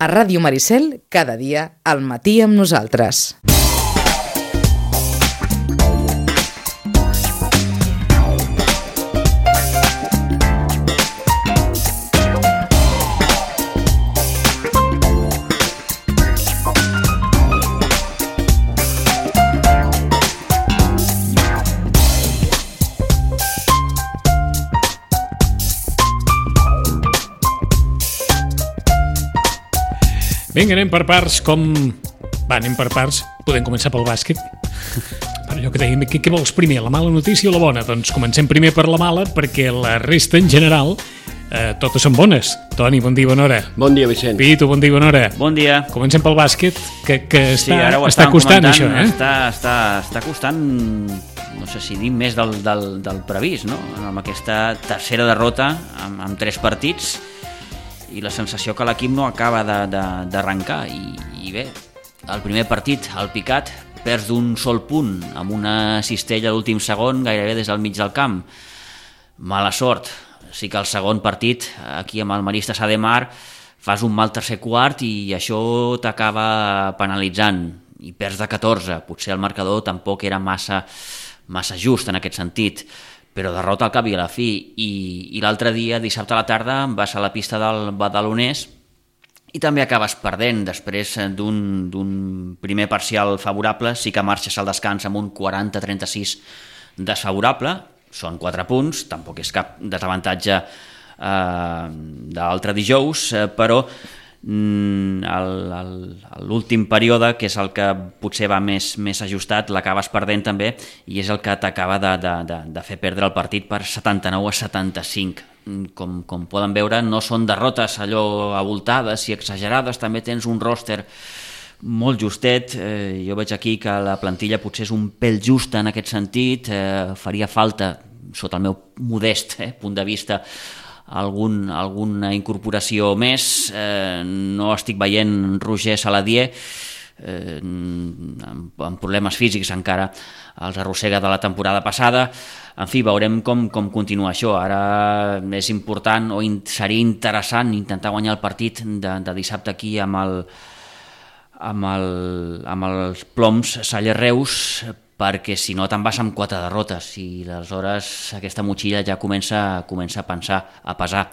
A Ràdio Maricel, cada dia, al matí amb nosaltres. Vinga, anem per parts, anem per parts. Podem començar pel bàsquet. Per allò que dèiem, què vols primer, la mala notícia o la bona? Doncs comencem primer per la mala, perquè la resta, en general, totes són bones. Toni, bon dia, bona hora. Bon dia, Vicent. Pitu, bon dia, bona hora. Bon dia. Comencem pel bàsquet, que està costant, això, eh? Està costant, no sé si dir més del previst, no? Amb aquesta tercera derrota, amb 3 partits, i la sensació que l'equip no acaba d'arrencar i bé, el primer partit, el Picat, perds d'un sol punt amb una cistella a l'últim segon gairebé des del mig del camp. Mala sort. Sí que el segon partit, aquí amb el Maristes Ademar, fas un mal tercer quart i això t'acaba penalitzant i perds de 14. Potser el marcador tampoc era massa just en aquest sentit, però derrota al cap i a la fi. I l'altre dia, dissabte a la tarda, vas a la pista del Badalonès i també acabes perdent després d'un primer parcial favorable. Sí que marxes al descans amb un 40-36 desfavorable, són 4 punts, tampoc és cap desavantatge d'altre dijous, però l'últim període, que és el que potser va més ajustat, l'acabes perdent també, i és el que t'acaba de fer perdre el partit per 79-75. Com poden veure, no són derrotes allò abultades i exagerades, també tens un roster molt justet. Jo veig aquí que la plantilla potser és un pèl justa en aquest sentit. Faria falta, sota el meu modest punt de vista, alguna incorporació més. No estic veient Roger Saladier, amb problemes físics encara els arrossega de la temporada passada. En fi, veurem com continua això. Ara és important, o seria interessant, intentar guanyar el partit de dissabte aquí amb els Ploms Salle-Reus, perquè si no te'n vas amb 4 derrotes i aleshores aquesta motxilla ja comença a pesar.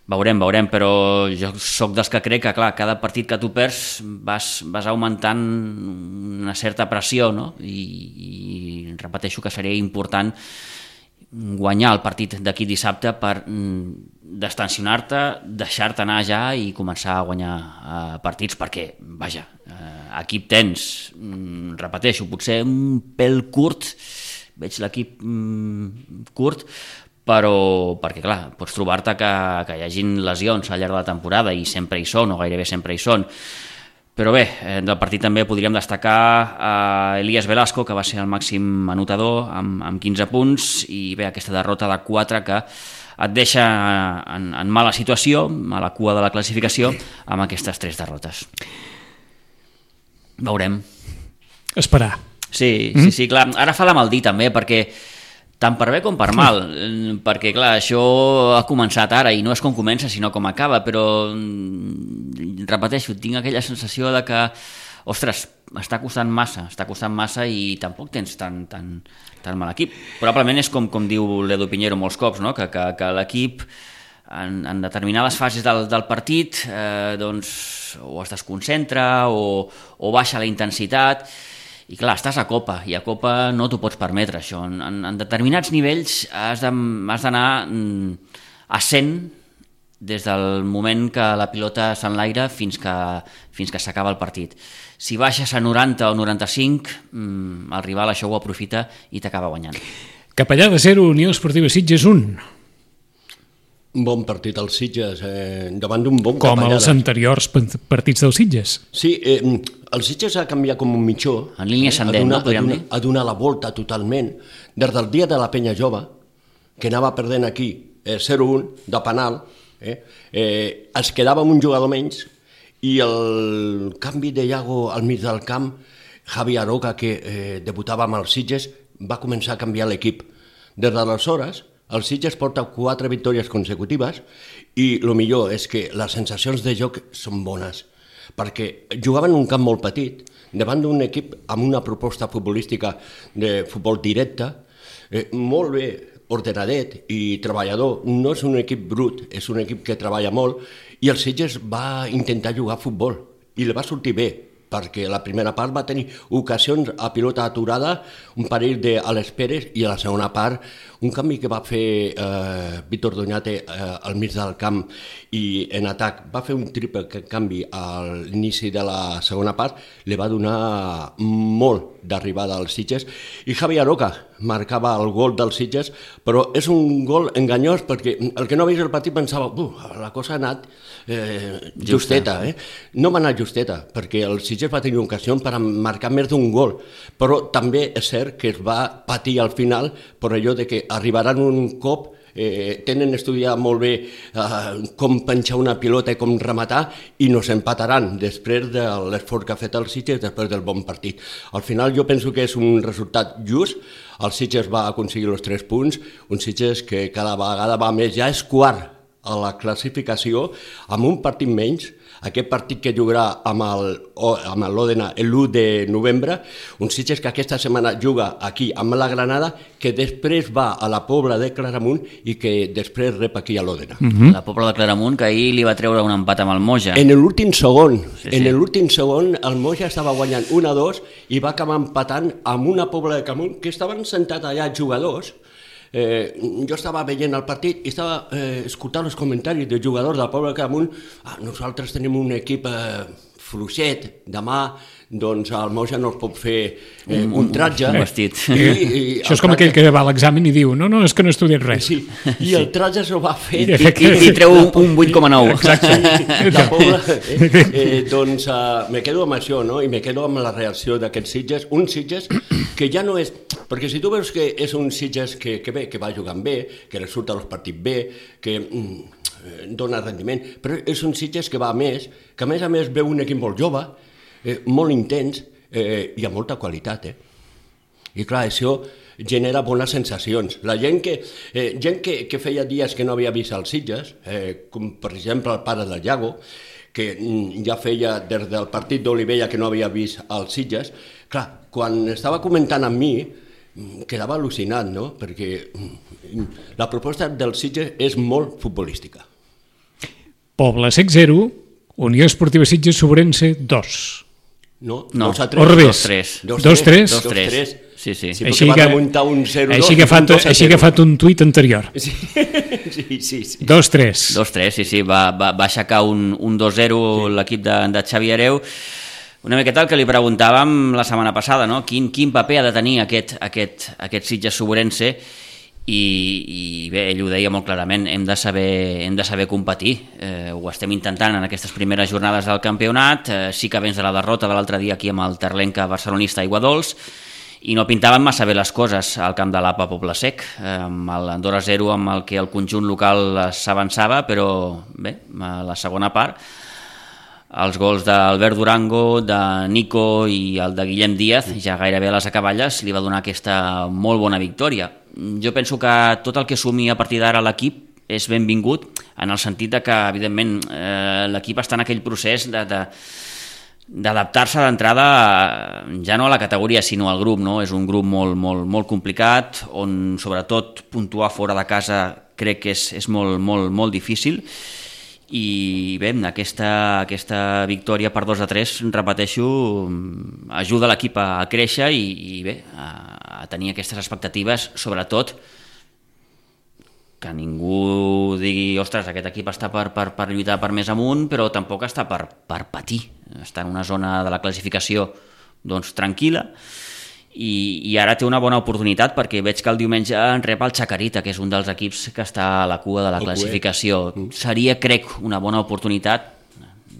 Veurem, però jo sóc dels que crec que, clar, cada partit que tu perds vas augmentant una certa pressió, no? I repeteixo que seria important guanyar el partit d'aquí dissabte per destensionar-te, deixar-te anar ja i començar a guanyar partits, perquè, vaja, equip tens, repeteixo, potser un pèl curt, veig l'equip curt, però perquè, clar, pots trobar-te que hi hagin lesions al llarg de la temporada i sempre hi són, o gairebé sempre hi són. Però bé, del partit també podríem destacar Elías Velasco, que va ser el màxim anotador amb 15 punts, i bé, aquesta derrota de 4 que et deixa en mala situació, a la cua de la classificació, amb aquestes 3 derrotes. Veurem. Esperar. Sí, clar. Ara fa de mal dir també, perquè tant per bé com per mal, perquè clar, això ha començat ara i no és com comença sinó com acaba, però repeteixo, tinc aquella sensació de que, ostres, està costant massa i tampoc tens tan mal equip. Probablement és com diu l'Edu Pinheiro molts cops, no? que l'equip en determinades fases del partit doncs o es desconcentra o baixa la intensitat. I clar, estàs a Copa, i a Copa no t'ho pots permetre, això. En determinats nivells has d'anar a 100 des del moment que la pilota s'enlaira fins que s'acaba el partit. Si baixes a 90 o 95, el rival això ho aprofita i t'acaba guanyant. Capellà de 0, Unió Esportiva Sitges 1. Un bon partit als Sitges, davant d'un bon capellà. Com els anteriors partits dels Sitges. Sí, el Sitges ha canviat com un mitjó. En línia ascendent, no? Podríem dir. Ha donat la volta totalment. Des del dia de la Penya Jove, que anava perdent aquí 0-1 de penal, es quedava amb un jugador menys, i el canvi de Iago al mig del camp, Javi Aroca, que debutava amb els Sitges, va començar a canviar l'equip. Des d'aleshores, el Sitges porta 4 victòries consecutives i el millor és que les sensacions de joc són bones. perquè jugaven en un camp molt petit, davant d'un equip amb una proposta futbolística de futbol directe, molt bé ordenadet i treballador. No és un equip brut, és un equip que treballa molt, i el Sitges va intentar jugar a futbol i li va sortir bé, perquè la primera part va tenir ocasions a pilota aturada, un parell a les Pérez, i a la segona part un canvi que va fer Víctor Doñate al mig del camp i en atac. Va fer un triple canvi a l'inici de la segona part, li va donar molt d'arribada als Sitges, i Javi Aroca marcava el gol dels Sitges, però és un gol enganyós perquè el que no ha vist el partit pensava la cosa ha anat justeta. No va anar justeta, perquè el Sitges va tenir ocasió per marcar més d'un gol, però també és cert que es va patir al final per allò de que arribaran un cop, tenen estudiat molt bé com penjar una pilota i com rematar, i no s'empataran després de l'esforç que ha fet el Sitges després del bon partit. Al final jo penso que és un resultat just. El Sitges va aconseguir els 3 punts, un Sitges que cada vegada va més, ja és quart a la classificació, amb un partit menys. Aquest partit que jugarà amb l'Òdena l'1 de novembre, un Sitges que aquesta setmana juga aquí amb la Granada, que després va a la Pobla de Claramunt i que després rep aquí a l'Òdena. La Pobla de Claramunt, que ahir li va treure un empat amb el Moja. En l'últim segon, el Moja estava guanyant 1-2 i va acabar empatant amb una Pobla de Claramunt que estaven sentats allà jugadors. Jo estava veient el partit i estava escoltant els comentaris dels jugadors del Poble de Claramunt. Nosaltres tenim un equip fluixet, demà doncs el Moja no es pot fer un tratge. Un vestit. Això és com aquell que va a l'examen i diu no, és que no he estudiat res. Sí, i el tratge s'ho va fer i treu un 8,9. Exacte. La Pobla, doncs me quedo amb això, no? I me quedo amb la reacció d'aquests Sitges, un Sitges que ja no és... Perquè si tu veus que és un Sitges que va jugant bé, que resulta els partits bé, que dona rendiment, però és un Sitges que va a més, que a més veu un equip molt jove, molt intens i amb molta qualitat. I clar, això genera bones sensacions. La gent que feia dies que no havia vist els Sitges, com per exemple el pare del Iago, que ja feia des del partit d'Olivella que no havia vist els Sitges, clar, quan estava comentant amb mi, quedava al·lucinat, no? Perquè la proposta del Sitges és molt futbolística. Poble Sec 0, Unió Esportiva Sitges Sobrense 2. No, al revés. 2-3. 2-3. Sí. Així que va remuntar un 0-2. Així que ha fet un tuit anterior. Sí. 2-3. 2-3, sí. Va aixecar un 2-0 l'equip de Xavi Hereu. Una miqueta el que li preguntàvem la setmana passada, no? Quin paper ha de tenir aquest Sitges Sobrense, i bé, ell ho deia molt clarament, hem de saber competir. Ho estem intentant en aquestes primeres jornades del campionat, sí que vens de la derrota de l'altre dia aquí amb el Terlenca barcelonista Aiguadols, i no pintaven massa bé les coses al camp de l'APA Poble Sec, amb l'Andorra 0 amb el que el conjunt local s'avançava, però bé, a la segona part els gols d'Albert Durango, de Nico i el de Guillem Díaz, ja gairebé a les acaballes, li va donar aquesta molt bona victòria. Jo penso que tot el que sumi a partir d'ara l'equip és benvingut, en el sentit que, evidentment, l'equip està en aquell procés d'adaptar-se d'entrada ja no a la categoria, sinó al grup, no? És un grup molt complicat, on sobretot puntuar fora de casa crec que és molt difícil. I bé, aquesta victòria per 2-3, repeteixo, ajuda l'equip a créixer i bé, a tenir aquestes expectatives, sobretot que ningú digui, ostres, aquest equip està per lluitar per més amunt, però tampoc està per patir, està en una zona de la classificació doncs tranquil·la, i ara té una bona oportunitat, perquè veig que el diumenge en rep el Chacarita, que és un dels equips que està a la cua de la classificació. Seria, crec, una bona oportunitat,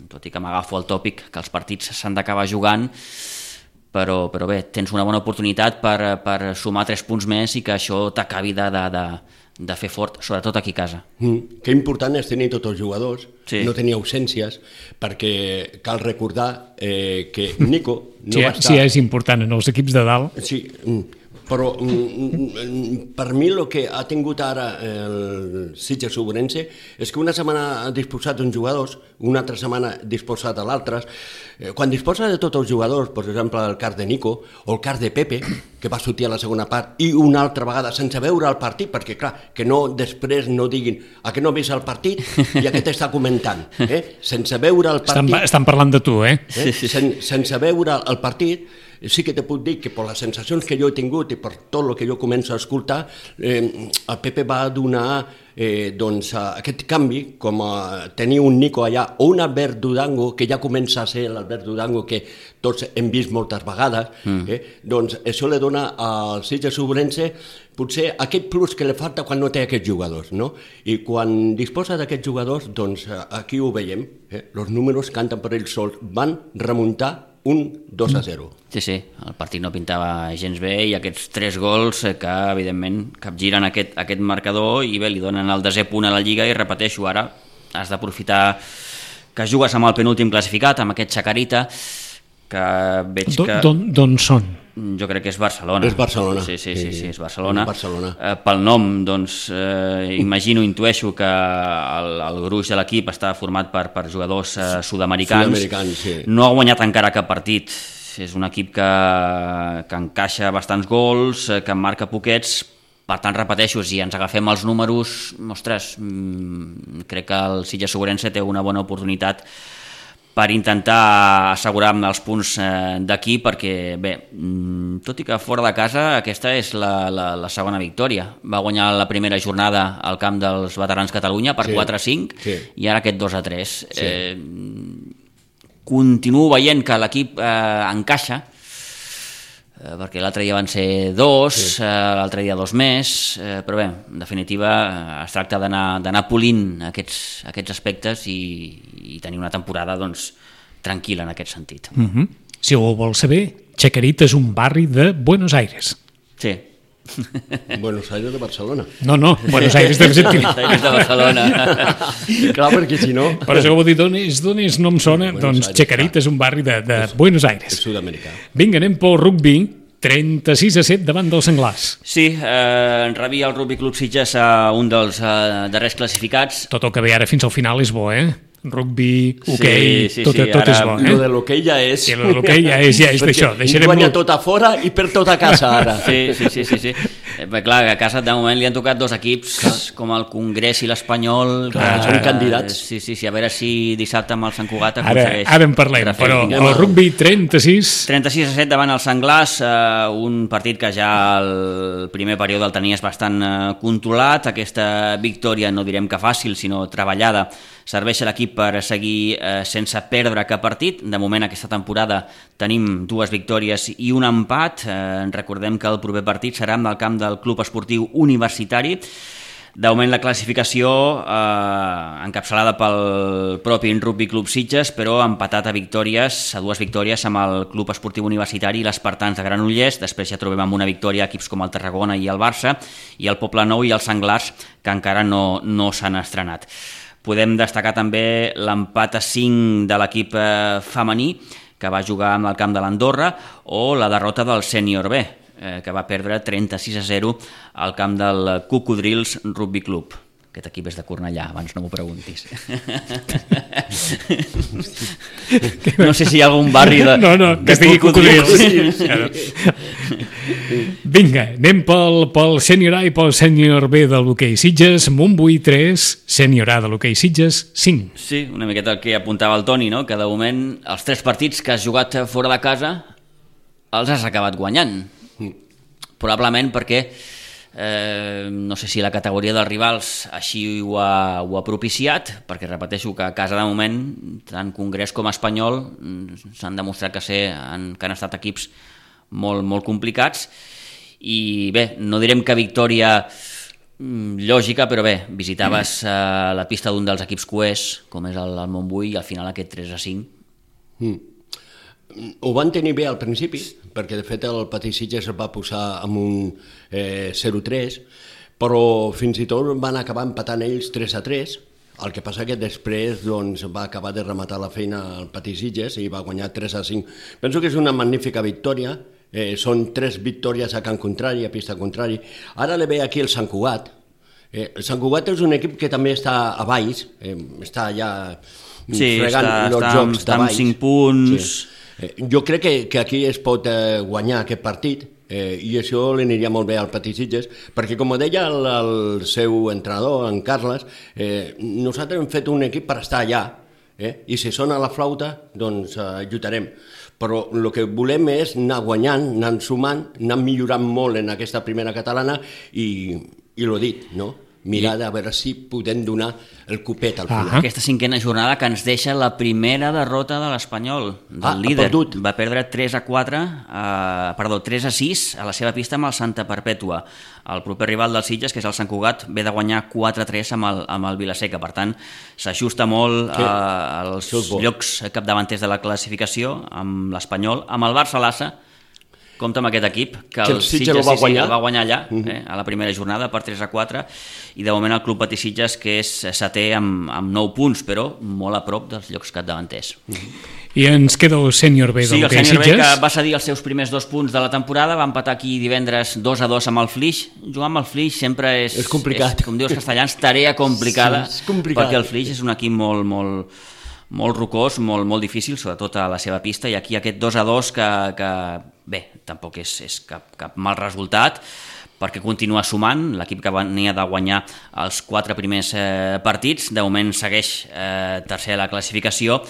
tot i que m'agafo el tòpic que els partits s'han d'acabar jugant, però bé, tens una bona oportunitat per sumar 3 punts més i que això t'acabi de fer fort, sobretot aquí a casa. Que important és tenir tots els jugadors, no tenir ausències, perquè cal recordar que Nico no va estar... Sí, és important en els equips de dalt. Sí, Però per mi el que ha tingut ara el Sitges Ourense és que una setmana ha disposat d'uns jugadors, una altra setmana ha disposat de l'altres. Quan disposa de tots els jugadors, per exemple el cas de Nico o el cas de Pepe, que va sortir a la segona part, i una altra vegada sense veure el partit, perquè clar, que no després no diguin a que no veus el partit i a què t'està comentant. Sense veure el partit... Estan parlant de tu, Sense veure el partit, sí que te puc dir que per les sensacions que jo he tingut i per tot el que jo començo a escoltar, el Pepe va donar aquest canvi, com tenir un Nico allà o un Albert Durango, que ja comença a ser l'Albert Durango que tots hem vist moltes vegades, doncs això li dona al Sitges Ourense potser aquest plus que li falta quan no té aquests jugadors, no? I quan disposa d'aquests jugadors, doncs aquí ho veiem, els números canten per ells sols, van remuntar un 2-0. Sí, el partit no pintava gens bé i aquests 3 gols que evidentment capgiren aquest marcador i bé, li donen el 10è punt a la Lliga i repeteixo, ara has d'aprofitar que jugues amb el penúltim classificat, amb aquest Chacarita, que veig que... D'on són? Jo crec que és Barcelona. És Barcelona. Sí, és Barcelona. Pel nom, doncs, intueixo que el gruix de l'equip està format per jugadors sud-americans. Sí. No ha guanyat encara cap partit. És un equip que encaixa bastants gols, que marca poquets. Per tant, repeteixo, si ens agafem els números, ostres, crec que el Sitges Ourense té una bona oportunitat per intentar assegurar-me els punts d'aquí, perquè bé, tot i que fora de casa aquesta és la segona victòria. Va guanyar la primera jornada al camp dels Veterans Catalunya per 4-5 i ara aquest 2-3. Continuo veient que l'equip encaixa, perquè l'altre dia van ser 2, l'altre dia 2 més, però bé, en definitiva es tracta d'anar polint aquests aspectes i tenir una temporada doncs, tranquil·la en aquest sentit. Si ho vols saber, Chacarita és un barri de Buenos Aires. Sí. Buenos Aires de Barcelona. No, Buenos Aires d'Argentina. Buenos Aires de Barcelona. Clar, perquè si no... Per això ho vull dir, d'on és, no em sona, doncs Chacarita és un barri de Buenos Aires. És sud-americà. Vinga, anem pel rugby, 36-7 davant dels Senglars. Sí, rebia el Rugby Club Sitges a un dels darrers classificats. Tot el que ve ara fins al final és bo, Rugby, hoquei, tot és bo. Lo de l'hoquei ja és... Sí, lo de l'hoquei ja és d'això. Guanya tot a fora i perd tot a casa, ara. Sí. Bé, clar, a casa de moment li han tocat 2 equips, com el Congrés i l'Espanyol. Són candidats. Sí, a veure si dissabte amb el Sant Cugat aconsegueix. Ara en parlem, però el rugby 36-7 davant els Senglars, un partit que ja el primer període el tenies bastant controlat. Aquesta victòria, no direm que fàcil, sinó treballada, serveix a l'equip per seguir sense perdre cap partit. De moment aquesta temporada tenim 2 victòries i un empat. Recordem que el proper partit serà amb el camp del Club Esportiu Universitari. De moment la classificació encapçalada pel propi Rugby Club Sitges, però empatat a 2 victòries amb el Club Esportiu Universitari i l'Espartans de Granollers. Després ja trobem amb una victòria equips com el Tarragona i el Barça, i el Poblenou i els Senglars, que encara no s'han estrenat. Podem destacar també l'empat a 5 de l'equip femení, que va jugar amb el camp de l'Andorra, o la derrota del Sènior B, que va perdre 36-0 al camp del Cocodrils Rugby Club. Aquest equip és de Cornellà, abans no m'ho preguntis. No sé si hi ha algun barri de... No, que es digui Cocodrils. Vinga, anem pel sènior A i pel sènior B de l'hoquei Sitges. Montbui 3, sènior A de l'hoquei Sitges 5. Sí, una miqueta el que apuntava el Toni, no? Que de moment els 3 partits que has jugat fora de casa els has acabat guanyant. Probablement perquè no sé si la categoria dels rivals així ho ha propiciat, perquè repeteixo que a casa de moment tant Congrés com Espanyol s'han demostrat que han estat equips molt complicats, i bé, no direm que victòria lògica, però bé, visitaves la pista d'un dels equips coers com és el Montbui, i al final aquest 3-5 ho van tenir bé al principi, perquè de fet el Patí Sitges es va posar amb un 0-3, però fins i tot van acabar empatant ells 3-3, el que passa que després va acabar de rematar la feina al Patí Sitges i va guanyar 3-5. Penso que és una magnífica victòria, Són 3 victòries a camp contrari, a pista contrari. Ara le ve aquí el Sant Cugat. El Sant Cugat és un equip que també està a baix, està allà fregant els jocs de baix. Està amb 5 punts. Sí. Jo crec que aquí es pot guanyar aquest partit, i això li aniria molt bé al Patisitges, perquè com deia el seu entrenador, en Carles, nosaltres hem fet un equip per estar allà, i si sona la flauta, doncs lluitarem. Però el que volem és anar guanyant, anar sumant, anar millorant molt en aquesta primera catalana i l'ho dit, no? Mirar de veure si podem donar el copet al final. Aquesta 5a jornada que ens deixa la primera derrota de l'Espanyol, del líder. Va perdre 3-6 a la seva pista amb el Santa Perpètua. El proper rival del Sitges, que és el Sant Cugat, ve de guanyar 4-3 amb el Vilaseca. Per tant, s'ajusta molt als llocs capdavanters de la classificació amb l'Espanyol, amb el Barça-Lassa. Compte amb aquest equip, que el Sitges el va guanyar allà, a la primera jornada per 3-4, i de moment el Club Patí Sitges, que és setè amb 9 punts, però molt a prop dels llocs capdavanters. I ens queda el sènior B del Hoquei Sitges. Sí, el sènior B, que va cedir els seus primers 2 punts de la temporada, va empatar aquí divendres 2-2 amb el Flix. Jugar amb el Flix sempre és complicat. Com dius castellans, tarea complicada, perquè el Flix és un equip molt rocós, molt difícil, sobretot a la seva pista, i aquí aquest 2-2 que bé, tampoc és cap mal resultat, perquè continua sumant, l'equip que venia de guanyar els 4 primers partits, de moment segueix tercer a la classificació,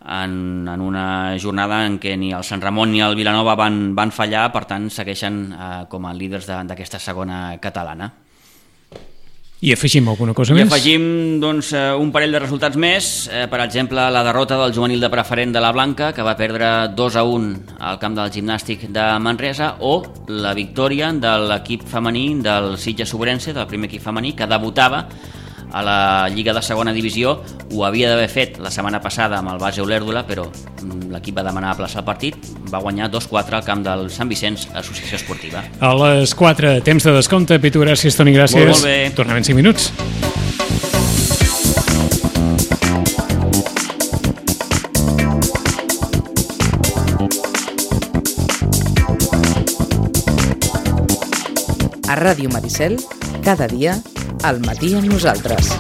en una jornada en què ni el Sant Ramon ni el Vilanova van fallar, per tant segueixen com a líders d'aquesta segona catalana. I afegim alguna cosa més? I afegim un parell de resultats més, per exemple la derrota del juvenil de preferent de la Blanca, que va perdre 2-1 al camp del Gimnàstic de Manresa, o la victòria de l'equip femení del Sitges Sobrense, del primer equip femení, que debutava a la Lliga de Segona Divisió. Ho havia d'haver fet la setmana passada amb el Base Olèrdola, però l'equip va demanar aplaçar el partit, va guanyar 2-4 al camp del Sant Vicenç Associació Esportiva. A les 4, temps de descompte. Pitu, gràcies, Toni, gràcies. Molt bé. Tornem en 5 minuts. A Ràdio Maricel, cada dia, al matí amb nosaltres.